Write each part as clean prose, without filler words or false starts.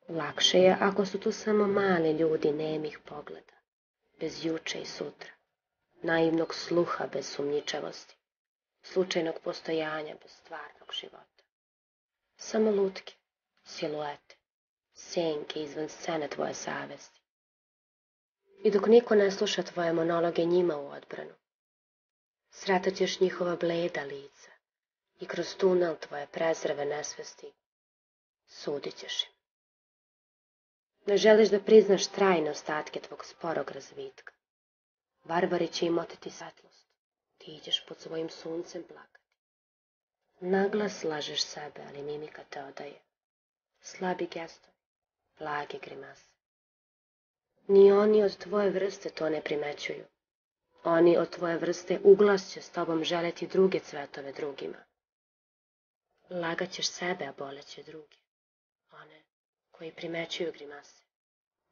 Lakše je ako su tu samo mali ljudi nemih pogleda, bez juče i sutra, naivnog sluha bez sumnjičavosti, slučajnog postojanja bez stvarnog života. Samo lutke, siluete, senke izvan scene tvoje savesti. I dok niko ne sluša tvoje monologe njima u odbranu, sretat ćeš njihova bleda lica i kroz tunel tvoje prezreve nesvesti sudit ćeš im. Ne želiš da priznaš trajne ostatke tvog sporog razvitka. Varvari će im oteti svetlost. Ti ideš pod svojim suncem plakati. Naglas lažeš sebe, ali mimika te odaje. Slabi gestovi, blage grimase. Ni oni od tvoje vrste to ne primećuju. Oni od tvoje vrste uglas će s tobom želeti druge cvetove drugima. Lagaćeš sebe, a boleće druge. One koji primećuju grimase.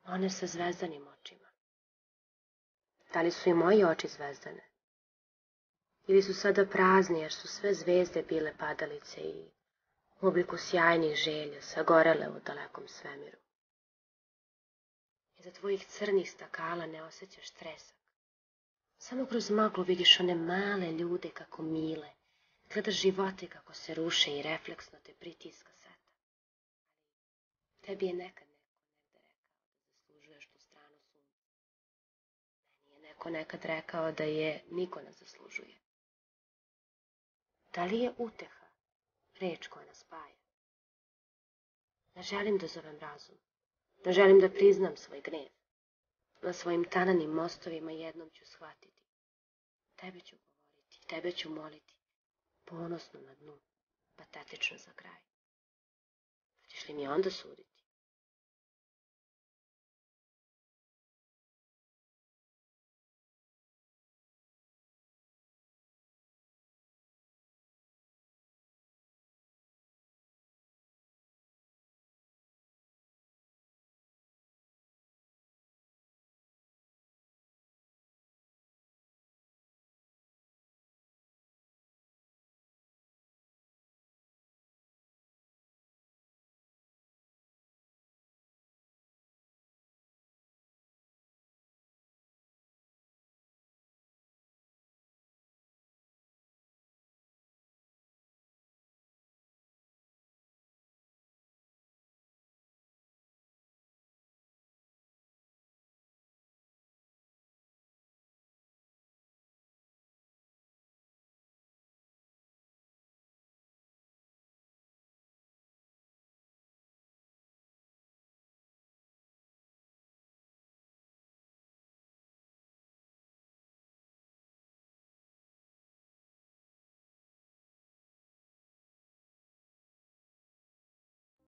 One sa zvezdanim očima. Da li su i moji oči zvezdane? Ili su sada prazni jer su sve zvezde bile padalice i u obliku sjajnih želja sagorele u dalekom svemiru? Iza tvojih crnih stakala ne osjećaš tresak. Samo kroz maglu vidiš one male ljude kako mile. Gledaš živote kako se ruše i refleksno te pritiska seta. Tebi je nekad neko negde rekao da zaslužuješ tu stranu sunca. Meni je neko nekad rekao da je niko ne zaslužuje. Da li je uteha reč koja nas spaja? Ne želim da zovem razum. Ne želim da priznam svoj gnev. Na svojim tananim mostovima jednom ću shvatiti. Tebe ću govoriti, tebe ću moliti. Ponosno na dnu, patetično za kraj. Hoćeš li mi onda suditi?